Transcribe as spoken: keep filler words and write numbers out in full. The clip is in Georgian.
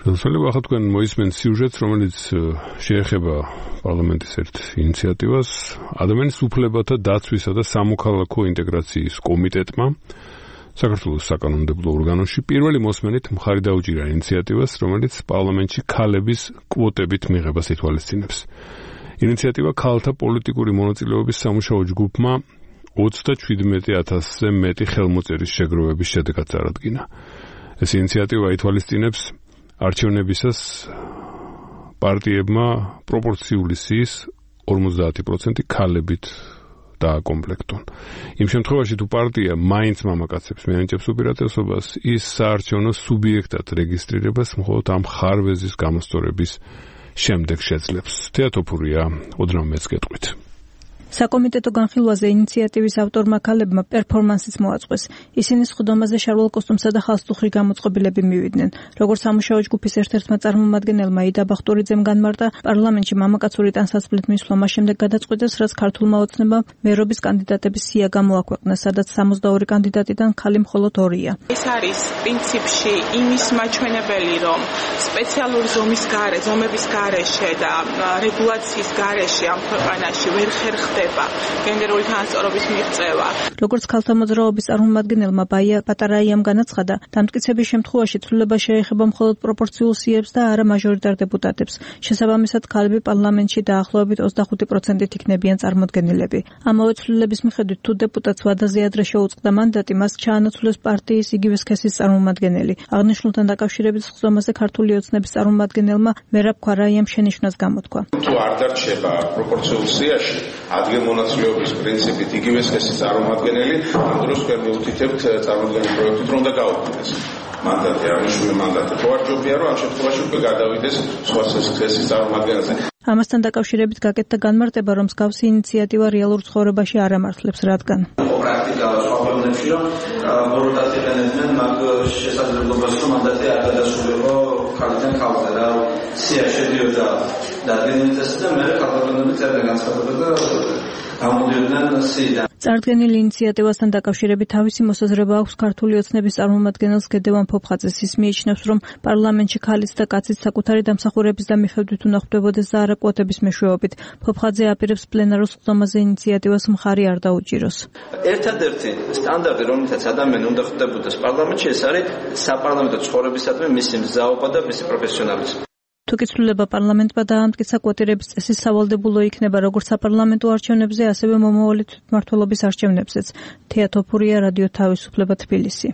ხელისუფლება ახლა თქვენ მოისმენთ სიუჟეტს, რომელიც შეეხება პარლამენტის ერთ ინიციატივას, ადამიანის უფლებათა დაცვისა და სამოქალაქო ინტეგრაციის კომიტეტმა საქართველოს საკანონმდებლო ორგანოში პირველი მოსმენით მხარი დაუჭირა ინიციატივას, რომელიც პარლამენტში ქალების კვოტებით მიღებას ითვალისწინებს. ინიციატივა ქალთა პოლიტიკური მონაწილეობის სამუშაო ჯგუფმა ოცდაჩვიდმეტი ათასზე მეტი ხელმოწერის შეგროვების შედეგად წარადგინა. ეს ინიციატივა ითვალისწინებს არჩევნებისას პარტიებმა პროპორციული სიის ორმოცდაათი პროცენტი ქალებით დააკომპლექტონ. იმ შემთხვევაში თუ პარტია მაინც მამაკაცებს მიანიჭებს უპირატესობას, ის საარჩევნო სუბიექტად რეგისტრირებას მხოლოდ ამ ხარვეზის გამოსწორების შემდეგ შეძლებს. თეატოფურია ოდნავ მეც გეტყვით. საკომიტეტო განხილვაზე ინიციატივის ავტორმა ქალებმა პერფორმანსიც მოაწყვეს. ისინი სხდომაზე შარვალ კოსტუმსა და ხალხსუხრი გამოწყობილები მივიდნენ. როგორც სამუშაო ჯგუფის ერთ-ერთმა წარმომადგენელმა იდა ბახტურიძემ განმარტა, პარლამენტში მამაკაცური ტანსაცმლით მისვლა მას შემდეგ გადაწყვიტეს, რაც ქართულმა ოცნებამ მერობის კანდიდატების სია გამოაქვეყნა, სადაც სამოცდაორი კანდიდატიდან ქალი მხოლოდ ორია. ეს არის პრინციპში იმის მაჩვენებელი, რომ სპეციალური ზომის გარე, ზომების გარეშე და რეგულაციის გარეშე ამ ქვეყანაში ვერ ხერხდება გენდერული თანასწორობის მიღწევა. როგორც ქალთა მოძრაობის წარმომადგენელმა ბაია პატარაიამ განაცხადა, დამტკიცების შემთხვევაში ცვლილება შეეხება მხოლოდ პროპორციულ სიებს და არა მაჟორიტარ დეპუტატებს. შესაბამისად, ქალები პარლამენტში დაახლოებით ოცდახუთი პროცენტით იქნებიან წარმოდგენილები. ამავე ცვლილების მიხედვით, თუ დეპუტატს ვადაზე ადრე შეუწყდა მანდატი, მას ჩაანაცვლეს პარტიის იგივე სქესის წარმომადგენელი. აღნიშნულთან დაკავშირებით სხდომაზე ქართული ოცნების წარმომადგენელმა მერაბ ქვარაიამ შენიშვნას გამოთქვა. თუ არ დარჩება პროპორციულ სიაში ადგილმონაცვლეობის პრინციპით იგივე სქესის წარმომადგენელი, ამ დროს ჩვენ მივუთითებთ წარმოდგენილ პროექტით, რომ და გაუქმდეს მანდატი, აღნიშნული მანდატი. ხო არ ჯობია, რომ ამ შემთხვევაში უკვე გადავიდეს სხვა სქესის წარმომადგენელზე. ამასთან დაკავშირებით გაკეთდა განმარტება, რომ მსგავსი ინიციატივა რეალურ ცხოვრებაში არ ამართლებს, რადგან პრაქტიკა სხვა ქვეყნებში, რომ ბოროტად იყენებდნენ მაგ შესაძლებლობას, რომ მანდატი არ გადასულიყო ქალიდან ქალზე, რა სია შედიოდა დადგენილდეს და მე ქალბატონები წერდნენ განცხადებებს და გამოდიოდნენ სიიდან. წარდგენილი ინიციატივასთან დაკავშირებით თავისი მოსაზრება აქვს ქართული ოცნების წარმომადგენელს გედევან ფოფხაძეს. ის მიიჩნევს, რომ პარლამენტში ქალიც და კაციც საკუთარი დამსახურების და მიხედვით უნდა ხვდებოდეს და არა კვოტების მეშვეობით. ფოფხაძე აპირებს პლენარულ სხდომაზე ინიციატივას მხარი არ დაუჭიროს. ერთადერთი სტანდარტი, რომელთაც ადამიანი უნდა ხვდებოდეს პარლამენტში, ეს არის საპარლამენტო ცხოვრებისადმი მისი მზაობა და მისი პროფესიონალიზმი. თუ კი ცვლილება პარლამენტმა დაამტკიცა კვოტირების წესი სავალდებულო იქნება როგორც საპარლამენტო არჩევნებზე, ასევე მომავალი თვითმმართველობის არჩევნებზეც. თეატოფურია რადიო თავისუფლება თბილისი.